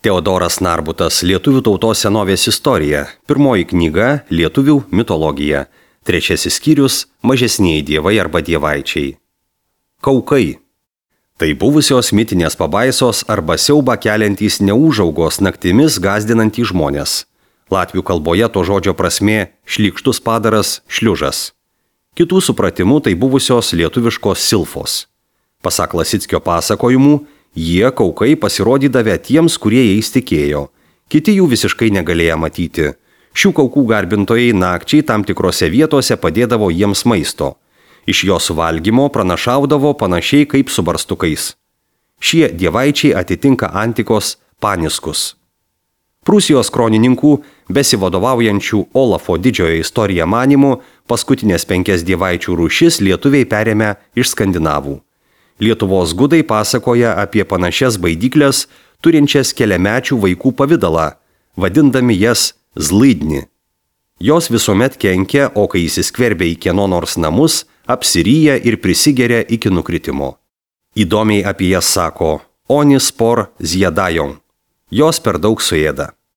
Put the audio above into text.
Teodoras Narbutas, Lietuvių tautos senovės istorija. Pirmoji knyga – Lietuvių mitologija. Trečiasis skyrius – Mažesnieji dievai arba dievaičiai. Kaukai. Tai buvusios mitinės pabaisos arba siaubą keliantys neūžaugos naktimis gąsdinantys žmonės. Latvių kalboje to žodžio prasmė – šlykštus padaras, šliužas. Kitų supratimų tai buvusios lietuviškos silfos. Pasak Lasickio pasakojimų, jie kaukai pasirodydavę tiems, kurie jais tikėjo. Kiti jų visiškai negalėjo matyti. Šių kaukų garbintojai nakčiai tam tikrose vietose padėdavo jiems maisto. Iš jo suvalgymo pranašaudavo panašiai kaip su barstukais. Šie dievaičiai atitinka antikos paniskus. Prūsijos kronininkų, besivadovaujančių Olafo didžiojo istoriją manymu, paskutinės 5 dievaičių rūšis lietuviai perėmė iš skandinavų. Lietuvos gudai pasakoja apie panašias baidyklės, turinčias keliamečių vaikų pavidalą, vadindami jas zlaidni. Jos visuomet kenkia, o kai įsiskverbia į kieno nors namus, apsiryja ir prisigeria iki nukritimo. Įdomiai apie jas sako Oni spor zjadajon. Jos per daug suėda.